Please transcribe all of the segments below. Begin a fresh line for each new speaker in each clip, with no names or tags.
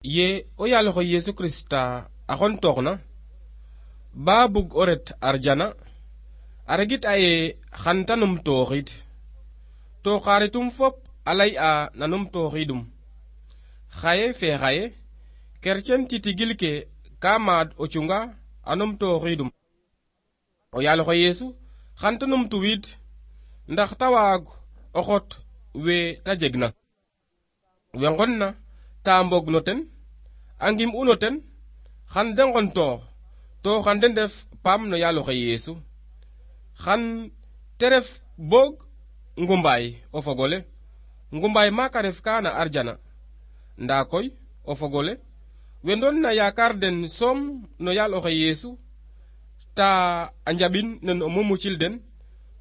ye o yaaloxo Yesu Krista a xon tooxna ba bug o ret arjana a regit aye xan ta numtooxid to xaritum fop a lay'a na numtooxidum xaye fe xaye kercen titigil ke ka maad o cunga a numtooxidum o yaaloxo Yesu xan ta numtuwiid ndax ta waag o xot we ta jegna we ngonna ta mbog no ten a ngim uno ten xan de ngontoox to xan de ndef paam no yaaloxe Yesu xan te ref boog ngumbaay o fogole ngumbaay maaka ref ka na arjana nda koy o fogole we ndon na yaakar den soom no yaaloxe Yesu ta a njaɓin nen o mumucil den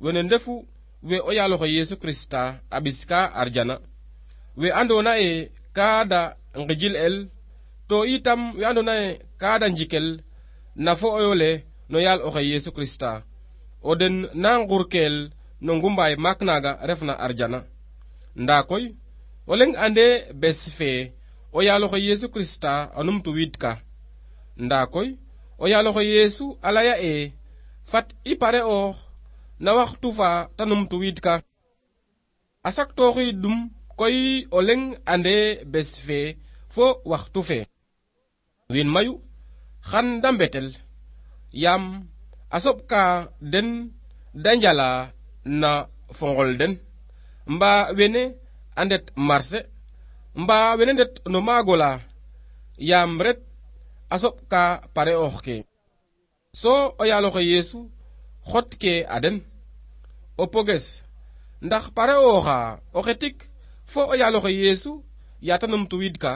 wene ndefu we o yaaloxe Yesu Krista a ɓiska arjana we andona ye kaada ngijil el to itam we andona ye kaada njikel na fo oyole no yaaloxe Yesu Krista o den na ngurkel no ngumbaay maak naga refna arjana nda koy o leng ande bes fe o yaaloxe Yesu Krista a numtuwiid ka nda koy o yaaloxe Yesu a laya e fat i pare oox na waxtu fa ta numtuwiid ka a saktooxidum koy o leng ande bes fe fo waxtu fe wiin mayu xan da mbetel yaam a soɓ ka den da njala na fo ngol den mba wene a ndet marché mba wene ndet no maagola yaam ret a soɓ ka pare oox ke so o yaaloxe Yesu xot ke a den o poges ndax pare ooxa o xetik fo o yaaloxe Yesu ya ta numtuwiid ka